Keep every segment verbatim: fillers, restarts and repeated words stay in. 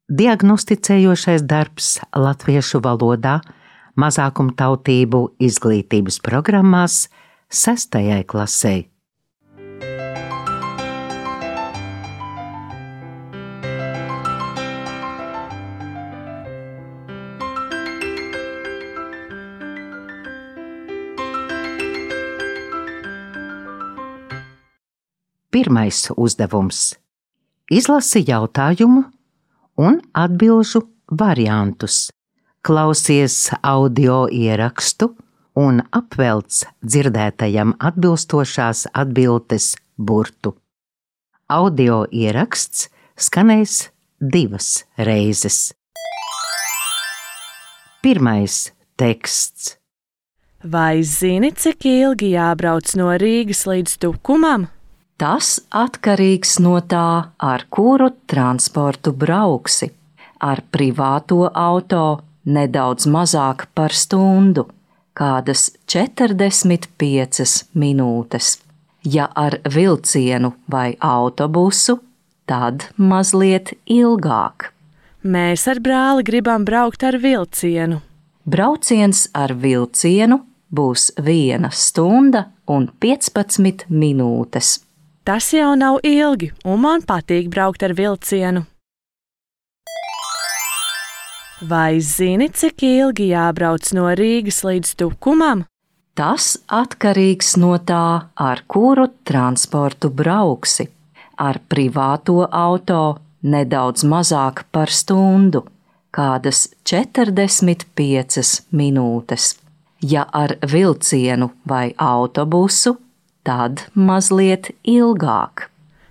Diagnosticējošais darbs latviešu valodā mazākumtautību izglītības programmās sestajai klasei. Pirmais uzdevums. Izlasi jautājumu un atbilžu variantus. Klausies audio ierakstu un apvelc dzirdētajam atbilstošās atbildes burtu. Audio ieraksts skanēs divas reizes. Pirmais teksts. Vai zini, cik ilgi jābrauc no Rīgas līdz Tukumam? Tas atkarīgs no tā, ar kuru transportu brauksi. Ar privāto auto nedaudz mazāk par stundu, kādas četrdesmit piecas minūtes. Ja ar vilcienu vai autobusu, tad mazliet ilgāk. Mēs ar brāli gribam braukt ar vilcienu. Brauciens ar vilcienu būs viena stunda un piecpadsmit minūtes. Tas jau nav ilgi, un man patīk braukt ar vilcienu. Vai zini, cik ilgi jābrauc no Rīgas līdz Tukumam? Tas atkarīgs no tā, ar kuru transportu brauksi. Ar privāto auto nedaudz mazāk par stundu, kādas četrdesmit piecas minūtes. Ja ar vilcienu vai autobusu, tad mazliet ilgāk.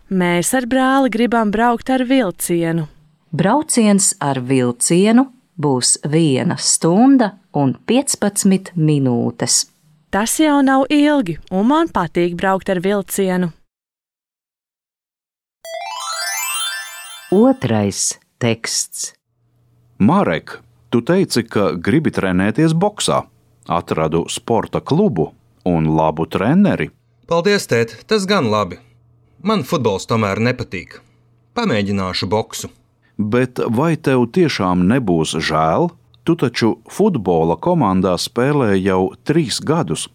Mēs ar brāli gribam braukt ar vilcienu. Brauciens ar vilcienu būs viena stunda un piecpadsmit minūtes. Tas jau nav ilgi, un man patīk braukt ar vilcienu. Otrais teksts. Marek, tu teici, ka gribi trenēties boksā. Atradu sporta klubu un labu treneri. Paldies, tēt, tas gan labi. Man futbols tomēr nepatīk. Pamēģināšu boksu. Bet vai tev tiešām nebūs žēl? Tu taču futbola komandā spēlē jau trīs gadus.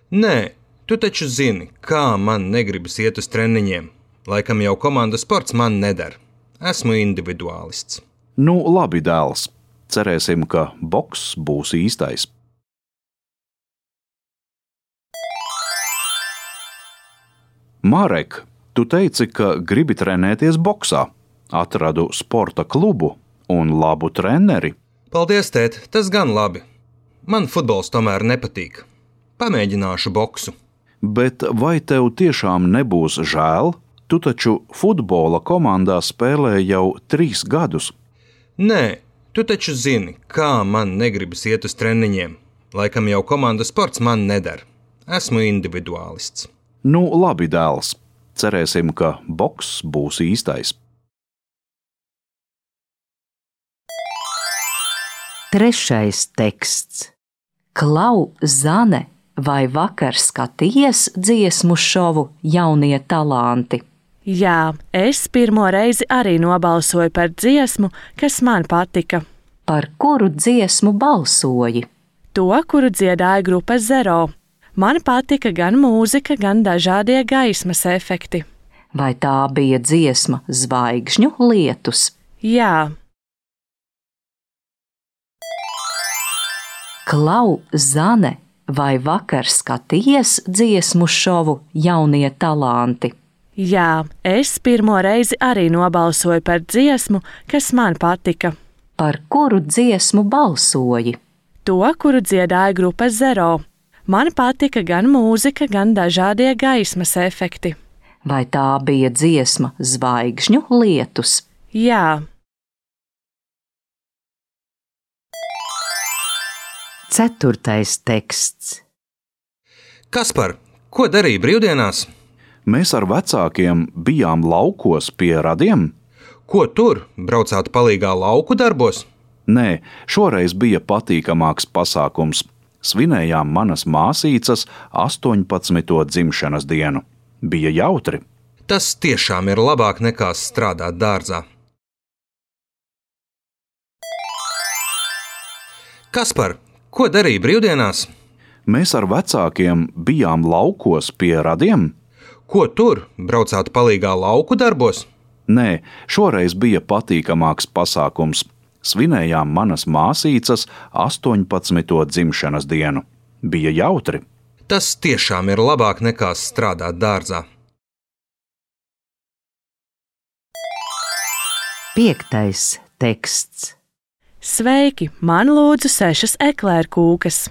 Nē, tu taču zini, kā man negribas iet uz treniņiem. Laikam jau komandas sports man neder. Esmu individuālists. Nu, labi, dēls. Cerēsim, ka boks būs īstais. Marek, tu teici, ka gribi trenēties boksā. Atradu sporta klubu un labu treneri. Paldies, tēt, tas gan labi. Man futbols tomēr nepatīk. Pamēģināšu boksu. Bet vai tev tiešām nebūs žēl? Tu taču futbola komandā spēlē jau trīs gadus. Nē, tu taču zini, kā man negribas iet uz treniņiem. Laikam jau komandas sports man neder. Esmu individuālists. Nu, labi, dēls. Cerēsim, ka boks būs īstais. Trešais teksts. Klau, Zane, vai vakar skatījies dziesmu šovu Jaunie talanti? Jā, es pirmo reizi arī nobalsoju par dziesmu, kas man patika. Par kuru dziesmu balsoji? To, kuru dziedāja grupa Zero. Man patika gan mūzika, gan dažādie gaismas efekti. Vai tā bija dziesma Zvaigžņu lietus? Jā. Klau, Zane, vai vakar skatījies dziesmu šovu Jaunie talanti? Jā, es pirmo reizi arī nobalsoju par dziesmu, kas man patika. Par kuru dziesmu balsoji? To, kuru dziedāja grupa Zero. Man patika gan mūzika, gan dažādie gaismas efekti. Vai tā bija dziesma Zvaigžņu lietus? Jā. Ceturtais teksts. Kaspar, ko darīji brīvdienās? Mēs ar vecākiem bijām laukos pie radiem. Ko tur? Braucāt palīgā lauku darbos? Nē, šoreiz bija patīkamāks pasākums. Svinējām manas māsīcas astoņpadsmito dzimšanas dienu. Bija jautri. Tas tiešām ir labāk nekā strādāt dārzā. Kaspar, ko darīji brīvdienās? Mēs ar vecākiem bijām laukos pie radiem. Ko tur? Braucāt palīgā lauku darbos? Nē, šoreiz bija patīkamāks pasākums. Svinējām manas māsīcas astoņpadsmito dzimšanas dienu. Bija jautri. Tas tiešām ir labāk nekā strādāt dārzā. Piektais teksts. Sveiki, man lūdzu sešas eklēru kūkas.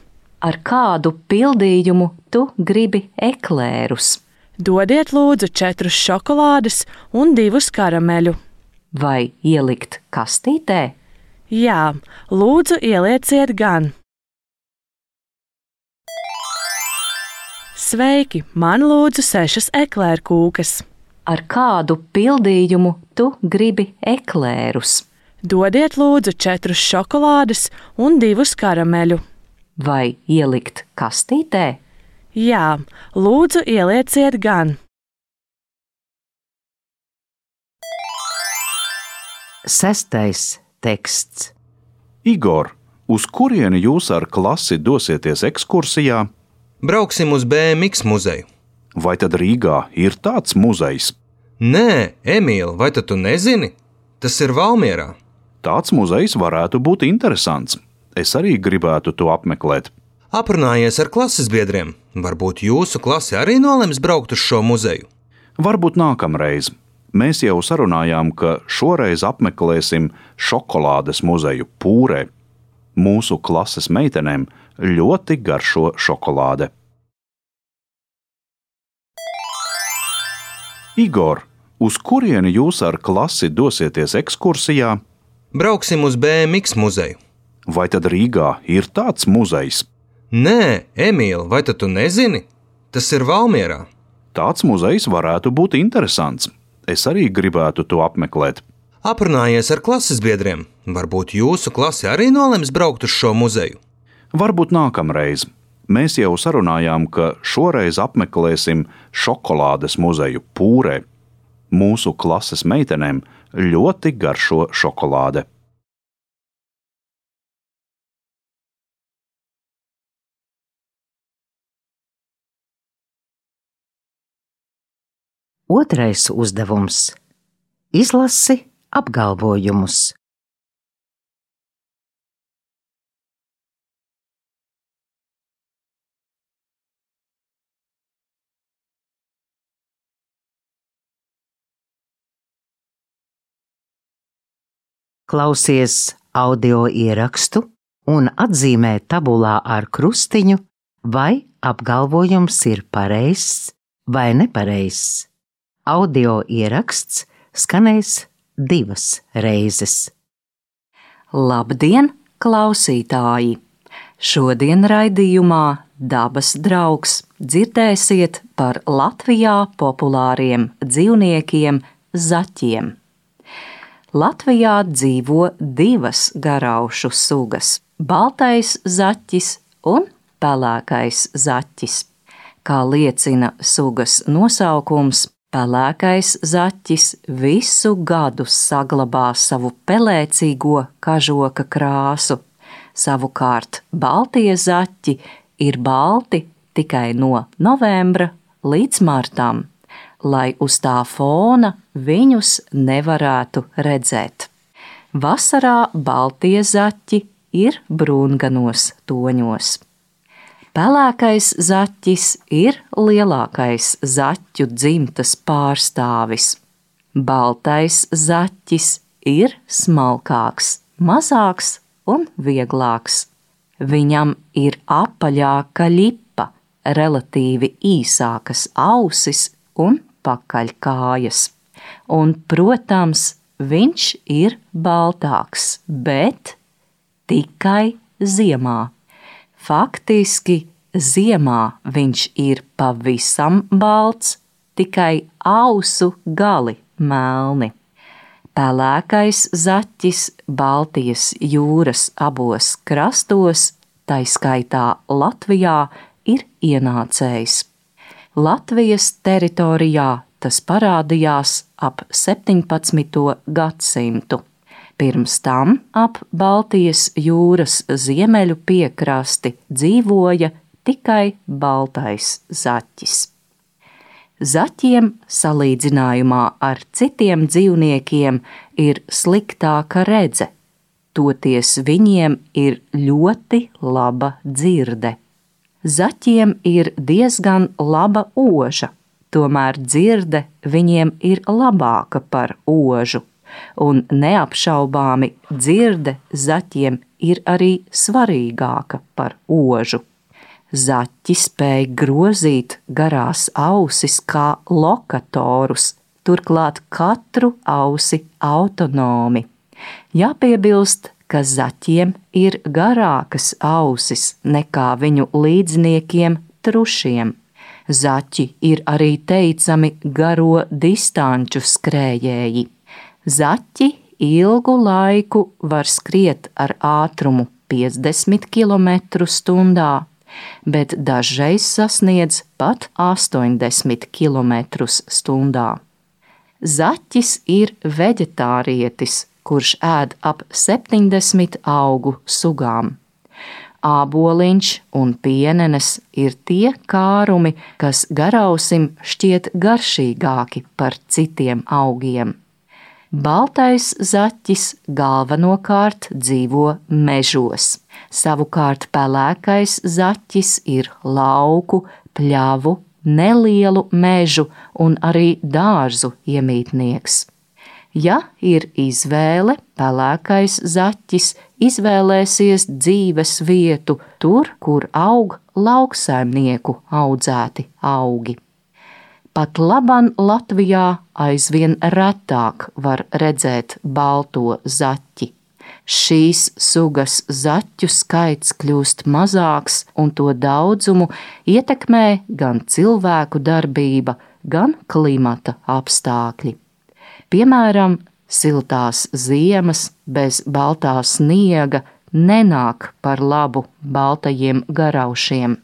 Ar kādu pildījumu tu gribi eklērus? Dodiet lūdzu četrus šokolādes un divus karameļu. Vai ielikt kastītē? Jā, lūdzu ielieciet gan. Sveiki, man lūdzu sešas eklēru kūkas. Ar kādu pildījumu tu gribi eklērus? Dodiet lūdzu četrus šokolādes un divus karameļu. Vai ielikt kastītē? Jā, lūdzu ielieciet gan. Sestais teksts. Igor, uz kurieni jūs ar klasi dosieties ekskursijā? Brauksim uz B M X muzeju. Vai tad Rīgā ir tāds muzejs? Nē, Emīl, vai tad tu nezini? Tas ir Valmierā. Tāds muzejs varētu būt interesants. Es arī gribētu to apmeklēt. Aprunājies ar klases biedriem. Varbūt jūsu klase arī nolems braukt uz šo muzeju? Varbūt nākamreiz. Mēs jau sarunājām, ka šoreiz apmeklēsim šokolādes muzeju Pūrē. Mūsu klases meitenēm ļoti garšo šokolāde. Igor, uz kurieni jūs ar klasi dosieties ekskursijā? Brauksim uz B M X muzeju. Vai tad Rīgā ir tāds muzejs? Nē, Emīl, vai tad tu nezini? Tas ir Valmierā. Tāds muzejs varētu būt interesants. Es arī gribētu to apmeklēt. Aprunājies ar klases biedriem. Varbūt jūsu klase arī nolems braukt uz šo muzeju? Varbūt nākamreiz. Mēs jau sarunājām, ka šoreiz apmeklēsim šokolādes muzeju Pūrē. Mūsu klases meitenēm ļoti garšo šokolāde. Otrais uzdevums. Izlasi apgalvojumus. Klausies audio ierakstu un atzīmē tabulā ar krustiņu, vai apgalvojums ir pareizs vai nepareizs. Audio ieraksts skanēs divas reizes. Labdien, klausītāji! Šodien raidījumā Dabas draugs dzirdēsiet par Latvijā populāriem dzīvniekiem zaķiem. Latvijā dzīvo divas garaušu sugas – baltais zaķis un pelēkais zaķis. Kā liecina sugas nosaukums, pelēkais zaķis visu gadu saglabā savu pelēcīgo kažoka krāsu. Savukārt baltie zaķi ir balti tikai no novembra līdz martam, lai uz tā fona viņus nevarētu redzēt. Vasarā baltie zaķi ir brūnganos toņos. Pelēkais zaķis ir lielākais zaķu dzimtas pārstāvis. Baltais zaķis ir smalkāks, mazāks un vieglāks. Viņam ir apaļāka ļipa, relatīvi īsākas ausis un pakaļkājas. Un, protams, viņš ir baltāks, bet tikai ziemā. Faktiski ziemā viņš ir pavisam balts, tikai ausu gali melni. Pelēkais zaķis Baltijas jūras abos krastos, tai skaitā Latvijā, ir ienācējs. Latvijas teritorijā tas parādījās ap septiņpadsmito gadsimtu. Pirms tam ap Baltijas jūras ziemeļu piekrasti dzīvoja tikai baltais zaķis. Zaķiem salīdzinājumā ar citiem dzīvniekiem ir sliktāka redze, toties viņiem ir ļoti laba dzirde. Zaķiem ir diezgan laba oža, tomēr dzirde viņiem ir labāka par ožu, un neapšaubāmi dzirde zaķiem ir arī svarīgāka par ožu. Zaķi spēj grozīt garās ausis kā lokatorus, turklāt katru ausi autonomi. Jāpiebilst, ka zaķiem ir garākas ausis nekā viņu līdzniekiem trušiem. Zaķi ir arī teicami garo distanču skrējēji. Zaķi ilgu laiku var skriet ar ātrumu piecdesmit kilometru stundā, bet dažreiz sasniedz pat astoņdesmit kilometrus stundā. Zaķis ir veģetārietis, kurš ēd ap septiņdesmit augu sugām. Āboliņš un pienenes ir tie kārumi, kas garausim šķiet garšīgāki par citiem augiem. Baltais zaķis galvenokārt dzīvo mežos, savukārt pelēkais zaķis ir lauku, pļavu, nelielu mežu un arī dārzu iemītnieks. Ja ir izvēle, pelēkais zaķis izvēlēsies dzīves vietu tur, kur aug lauksaimnieku audzēti augi. Pat laban Latvijā aizvien retāk var redzēt balto zaķi. Šīs sugas zaķu skaits kļūst mazāks, un to daudzumu ietekmē gan cilvēku darbība, gan klimata apstākļi. Piemēram, siltās ziemas bez baltā sniega nenāk par labu baltajiem garaušiem.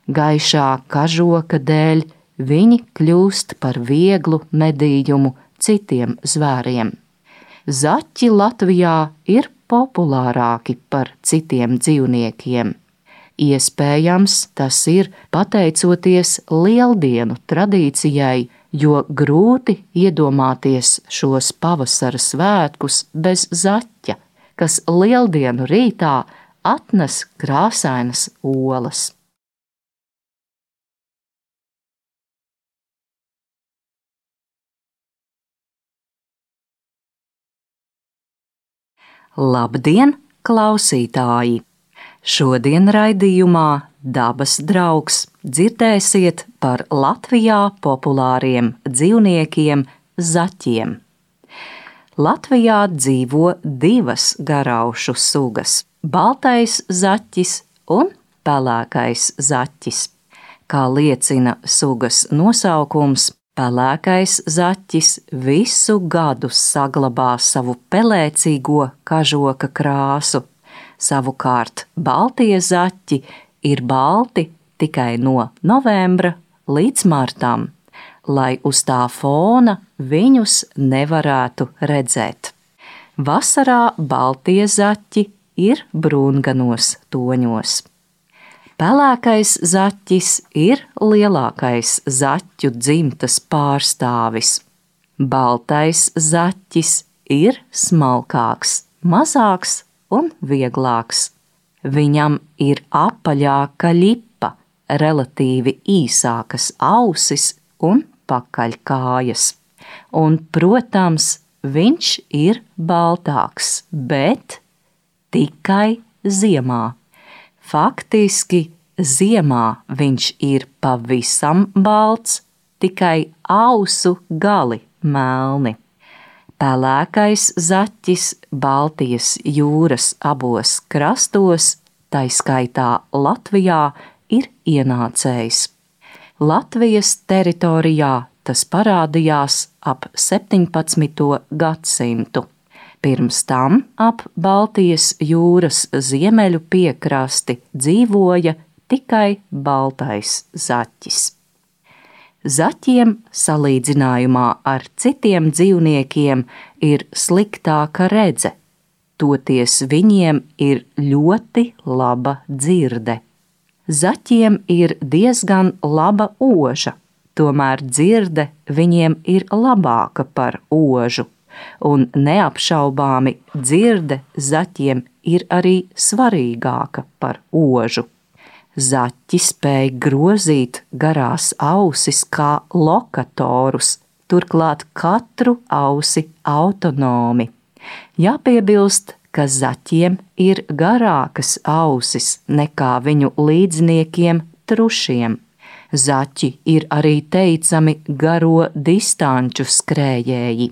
Gaišā kažoka dēļ viņi kļūst par vieglu medījumu citiem zvēriem. Zaķi Latvijā ir populārāki par citiem dzīvniekiem. Iespējams, tas ir pateicoties Lieldienu tradīcijai, jo grūti iedomāties šos pavasara svētkus bez zaķa, kas Lieldienu rītā atnes krāsainas olas. Labdien, klausītāji! Šodien raidījumā Dabas draugs dzirdēsiet par Latvijā populāriem dzīvniekiem zaķiem. Latvijā dzīvo divas garaušu sugas – baltais zaķis un pelēkais zaķis. Kā liecina sugas nosaukums, pelēkais zaķis visu gadu saglabā savu pelēcīgo kažoka krāsu. Savukārt baltie zaķi ir balti tikai no novembra līdz martam, lai uz tā fona viņus nevarētu redzēt. Vasarā baltie zaķi ir brūnganos toņos. Pelēkais zaķis ir lielākais zaķu dzimtas pārstāvis. Baltais zaķis ir smalkāks, mazāks un vieglāks. Viņam ir apaļāka ļipa, relatīvi īsākas ausis un pakaļkājas. Un, protams, viņš ir baltāks, bet tikai ziemā. Faktiski ziemā viņš ir pavisam balts, tikai ausu gali melni. Pelēkais zaķis Baltijas jūras abos krastos, tai skaitā Latvijā, ir ienācējs. Latvijas teritorijā tas parādījās ap septiņpadsmito gadsimtu. Pirms tam ap Baltijas jūras ziemeļu piekrasti dzīvoja tikai baltais zaķis. Zaķiem salīdzinājumā ar citiem dzīvniekiem ir sliktāka redze, toties viņiem ir ļoti laba dzirde. Zaķiem ir diezgan laba oža, tomēr dzirde viņiem ir labāka par ožu, un neapšaubāmi dzirde zaķiem ir arī svarīgāka par ožu. Zaķi spēj grozīt garās ausis kā lokatorus, turklāt katru ausi autonomi. Jāpiebilst, ka zaķiem ir garākas ausis nekā viņu līdzniekiem trušiem. Zaķi ir arī teicami garo distanču skrējēji.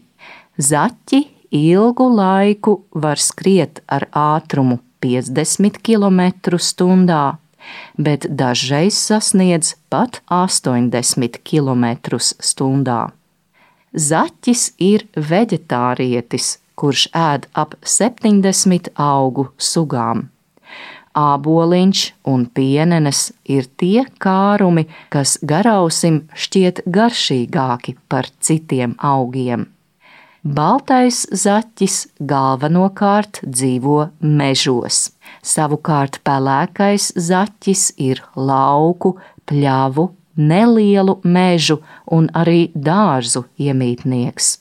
Zaķi ilgu laiku var skriet ar ātrumu piecdesmit kilometru stundā, bet dažreiz sasniedz pat astoņdesmit kilometrus stundā. Zaķis ir veģetārietis, kurš ēd ap septiņdesmit augu sugām. Āboliņš un pienenes ir tie kārumi, kas garausim šķiet garšīgāki par citiem augiem. Baltais zaķis galvenokārt dzīvo mežos, savukārt pelēkais zaķis ir lauku, pļavu, nelielu mežu un arī dārzu iemītnieks.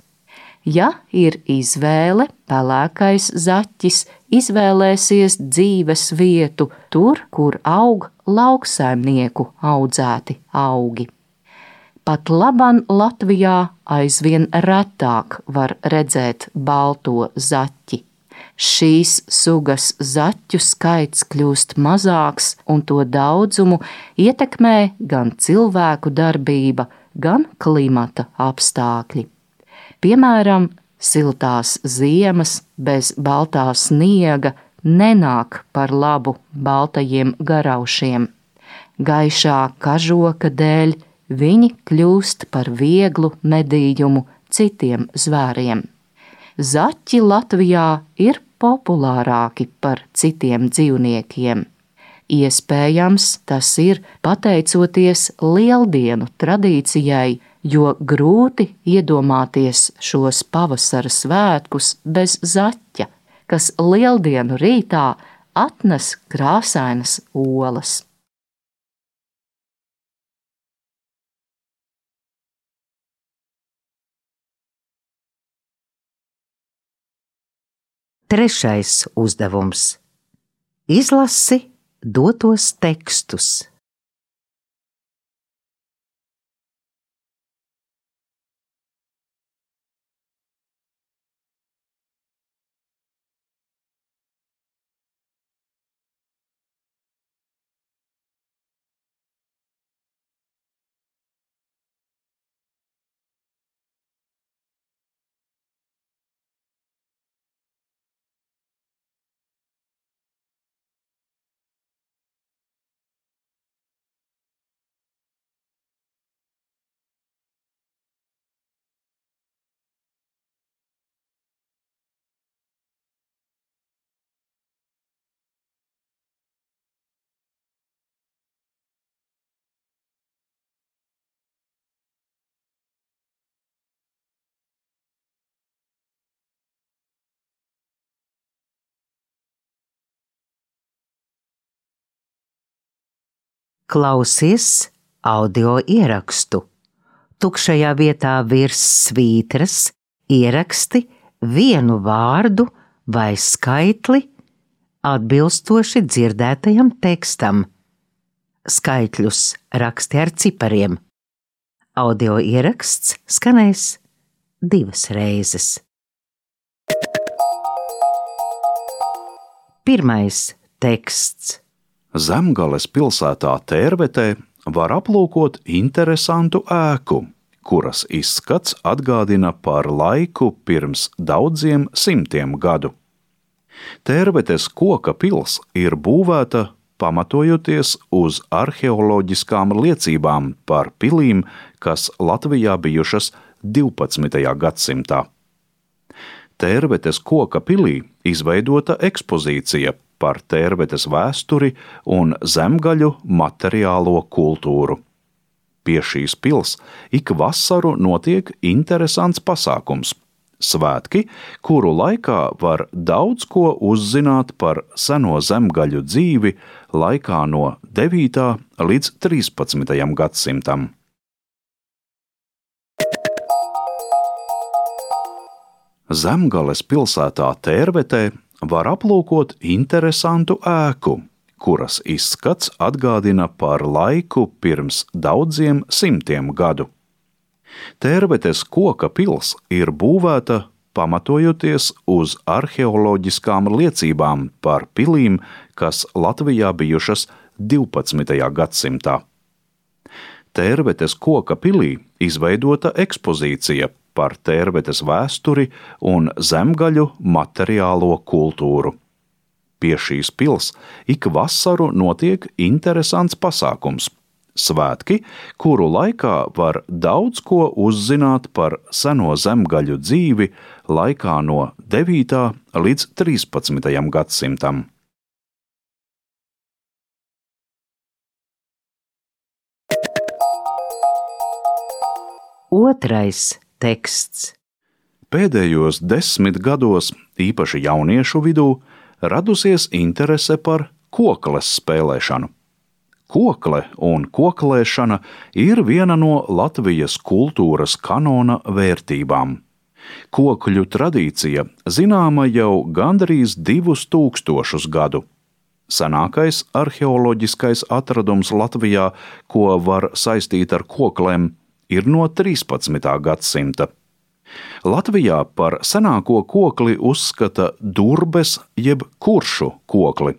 Ja ir izvēle, pelēkais zaķis izvēlēsies dzīves vietu tur, kur aug lauksaimnieku audzēti augi. Pat laban Latvijā aizvien retāk var redzēt balto zaķi. Šīs sugas zaķu skaits kļūst mazāks, un to daudzumu ietekmē gan cilvēku darbība, gan klimata apstākļi. Piemēram, siltās ziemas bez baltā sniega nenāk par labu baltajiem garaušiem. Gaišā kažoka dēļ viņi kļūst par vieglu medījumu citiem zvēriem. Zaķi Latvijā ir populārāki par citiem dzīvniekiem. Iespējams, tas ir pateicoties lieldienu tradīcijai, jo grūti iedomāties šos pavasara svētkus bez zaķa, kas lieldienu rītā atnes krāsainas olas. Trešais uzdevums. Izlasi dotos tekstus. Klausies audio ierakstu. Tukšajā vietā virs svītras ieraksti vienu vārdu vai skaitli atbilstoši dzirdētajam tekstam. Skaitļus raksti ar cipariem. Audio ieraksts skanēs divas reizes. Pirmais teksts. Zemgales pilsētā Tērvetē var aplūkot interesantu ēku, kuras izskats atgādina par laiku pirms daudziem simtiem gadu. Tērvetes koka pils ir būvēta pamatojoties uz arheoloģiskām liecībām par pilīm, kas Latvijā bijušas divpadsmitajā gadsimtā. Tērvetes koka pilī izveidota ekspozīcija par Tērvetes vēsturi un zemgaļu materiālo kultūru. Pie šīs pils ik vasaru notiek interesants pasākums Svētki, kuru laikā var daudz ko uzzināt par seno zemgaļu dzīvi laikā no devītā līdz trīspadsmitajam gadsimtam. Zemgales pilsētā Tērvetē var aplūkot interesantu ēku, kuras izskats atgādina par laiku pirms daudziem simtiem gadu. Tērvetes koka pils ir būvēta pamatojoties uz arheoloģiskām liecībām par pilīm, kas Latvijā bijušas divpadsmitajā gadsimtā. Tērvetes koka pilī izveidota ekspozīcija par Tērvetes vēsturi un zemgaļu materiālo kultūru. Pie šīs pils ik vasaru notiek interesants pasākums – svētki, kuru laikā var daudz ko uzzināt par seno zemgaļu dzīvi laikā no devītā līdz trīspadsmitajam gadsimtam. Otrais teksts. Pēdējos desmit gados, īpaši jauniešu vidū, radusies interese par kokles spēlēšanu. Kokle un koklēšana ir viena no Latvijas kultūras kanona vērtībām. Kokļu tradīcija zināma jau gandrīz divus tūkstošus gadu. Senākais arheoloģiskais atradums Latvijā, ko var saistīt ar koklēm, ir no trīspadsmitā gadsimta. Latvijā par senāko kokli uzskata Durbes jeb Kuršu kokli,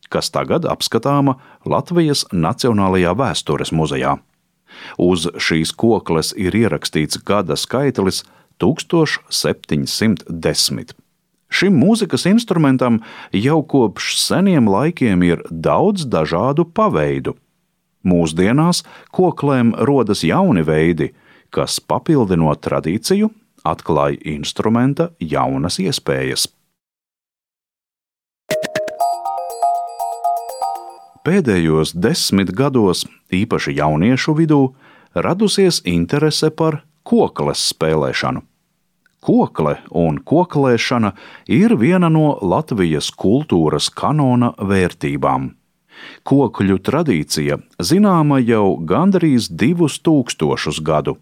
kas tagad apskatāma Latvijas Nacionālajā vēstures muzejā. Uz šīs kokles ir ierakstīts gada skaitlis tūkstoš septiņi simti desmit. Šim mūzikas instrumentam jau kopš seniem laikiem ir daudz dažādu paveidu. Mūsdienās koklēm rodas jauni veidi, kas papildinot tradīciju, atklāja instrumenta jaunas iespējas. Pēdējos desmit gados, īpaši jauniešu vidū, radusies interese par kokles spēlēšanu. Kokle un koklēšana ir viena no Latvijas kultūras kanona vērtībām. Kokļu tradīcija zināma jau gandrīz divus tūkstošus gadu.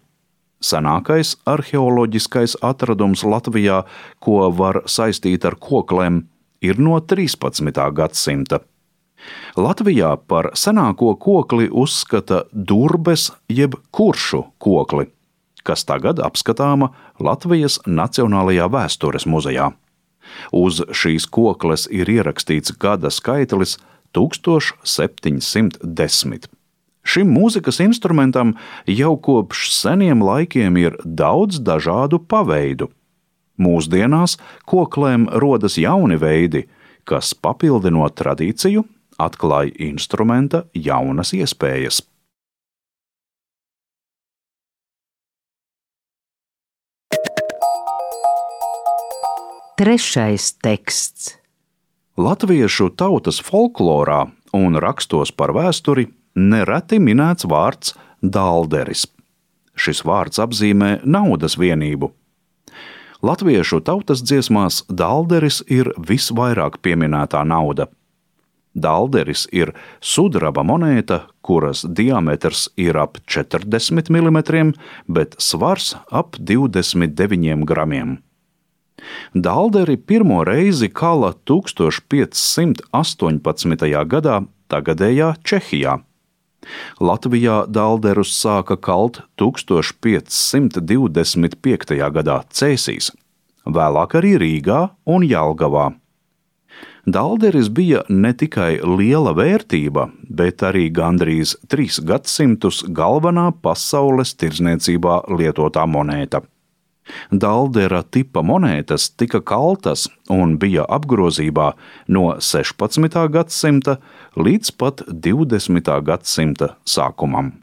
Senākais arheoloģiskais atradums Latvijā, ko var saistīt ar koklēm, ir no trīspadsmitā gadsimta. Latvijā par senāko kokli uzskata Durbes jeb Kuršu kokli, kas tagad apskatāma Latvijas Nacionālajā vēstures muzejā. Uz šīs kokles ir ierakstīts gada skaitlis tūkstoš septiņi simti desmit. Šim mūzikas instrumentam jau kopš seniem laikiem ir daudz dažādu paveidu. Mūsdienās koklēm rodas jauni veidi, kas papildinot tradīciju, atklāja instrumenta jaunas iespējas. Trešais teksts. Latviešu tautas folklorā un rakstos par vēsturi nereti minēts vārds dalderis. Šis vārds apzīmē naudas vienību. Latviešu tautas dziesmās dalderis ir visvairāk pieminētā nauda. Dalderis ir sudraba monēta, kuras diametrs ir ap četrdesmit milimetriem, bet svars ap divdesmit deviņiem gramiem. Dalderi pirmo reizi kala tūkstoš piecsimt astoņpadsmitajā gadā tagadējā Čehijā. Latvijā dalderus sāka kalt tūkstoš piecsimt divdesmit piektajā gadā Cēsīs, vēlāk arī Rīgā un Jelgavā. Dalderis bija ne tikai liela vērtība, bet arī gandrīz trīs gadsimtus galvenā pasaules tirdzniecībā lietotā monēta. Daldera tipa monētas tika kaltas un bija apgrozībā no sešpadsmitā gadsimta līdz pat divdesmitā gadsimta sākumam.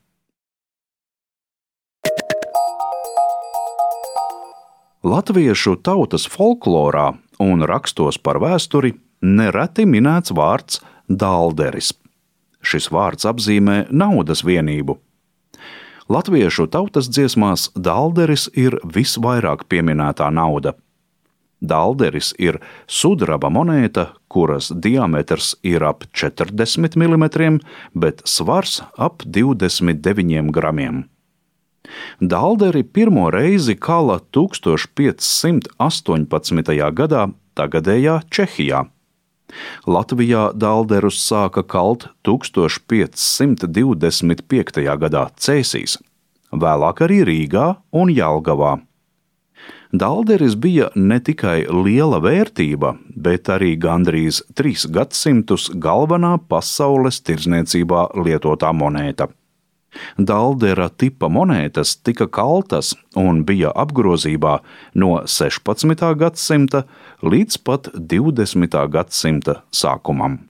Latviešu tautas folklorā un rakstos par vēsturi nereti minēts vārds dalderis. Šis vārds apzīmē naudas vienību. Latviešu tautas dziesmās dalderis ir visvairāk pieminētā nauda. Dalderis ir sudraba monēta, kuras diametrs ir ap četrdesmit milimetriem, bet svars ap divdesmit deviņiem gramiem. Dalderi pirmo reizi kala tūkstoš piecsimt astoņpadsmitajā gadā tagadējā Čehijā. Latvijā dalderus sāka kalt tūkstoš piecsimt divdesmit piektajā gadā Cēsīs, vēlāk arī Rīgā un Jelgavā. Dalderis bija ne tikai liela vērtība, bet arī gandrīz trīs gadsimtus galvenā pasaules tirdzniecībā lietotā monēta. Daldera tipa monētas tika kaltas un bija apgrozībā no sešpadsmitā gadsimta līdz pat divdesmitā gadsimta sākumam.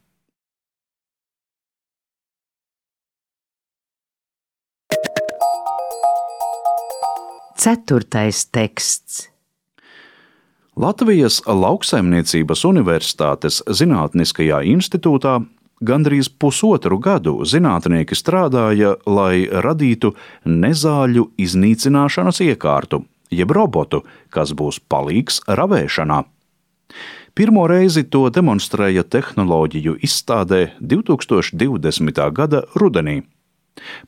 Ceturtais teksts. Latvijas Lauksaimniecības Universitātes Zinātniskajā institūtā gandrīz pusotru gadu zinātnieki strādāja, lai radītu nezāļu iznīcināšanas iekārtu, jeb robotu, kas būs palīgs ravēšanā. Pirmo reizi to demonstrēja tehnoloģiju izstādē divtūkstoš divdesmitā gada rudenī.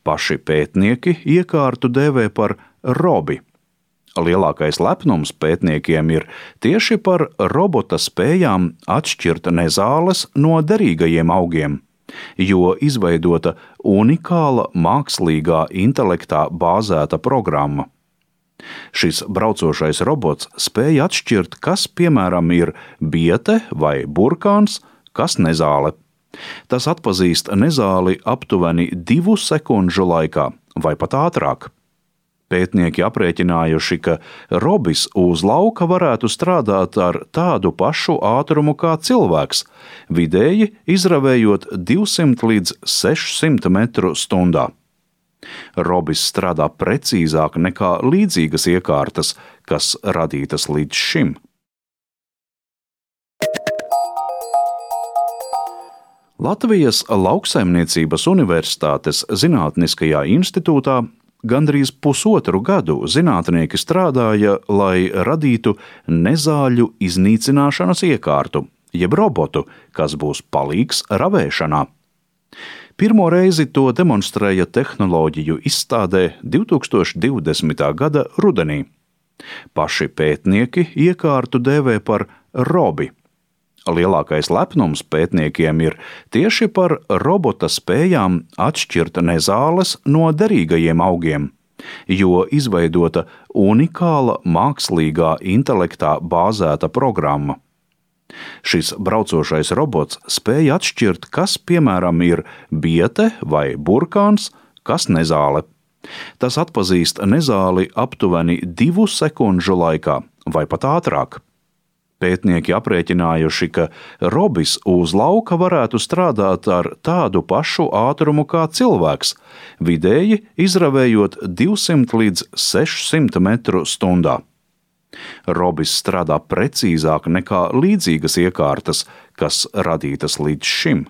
Paši pētnieki iekārtu dēvē par robi. Lielākais lepnums pētniekiem ir tieši par robota spējām atšķirt nezāles no derīgajiem augiem, jo izveidota unikāla mākslīgā intelektā bāzēta programma. Šis braucošais robots spēja atšķirt, kas, piemēram, ir biete vai burkāns, kas nezāle. Tas atpazīst nezāli aptuveni divu sekundžu laikā vai pat ātrāk. Pētnieki aprēķinājuši, ka robis uz lauka varētu strādāt ar tādu pašu ātrumu kā cilvēks, vidēji izravējot divsimt līdz sešsimt metru stundā. Robis strādā precīzāk nekā līdzīgas iekārtas, kas radītas līdz šim. Latvijas Lauksaimniecības Universitātes Zinātniskajā institūtā gandrīz pusotru gadu zinātnieki strādāja, lai radītu nezāļu iznīcināšanas iekārtu, jeb robotu, kas būs palīgs ravēšanā. Pirmo reizi to demonstrēja tehnoloģiju izstādē divtūkstoš divdesmitā gada rudenī. Paši pētnieki iekārtu dēvē par robi. Lielākais lepnums pētniekiem ir tieši par robota spējām atšķirt nezāles no derīgajiem augiem, jo izveidota unikāla mākslīgā intelektā bāzēta programma. Šis braucošais robots spēja atšķirt, kas, piemēram, ir biete vai burkāns, kas nezāle. Tas atpazīst nezāli aptuveni divu sekundžu laikā vai pat ātrāk. Pētnieki aprēķinājuši, ka robis uz lauka varētu strādāt ar tādu pašu ātrumu kā cilvēks, vidēji izravējot divsimt līdz sešsimt metru stundā. Robis strādā precīzāk nekā līdzīgas iekārtas, kas radītas līdz šim.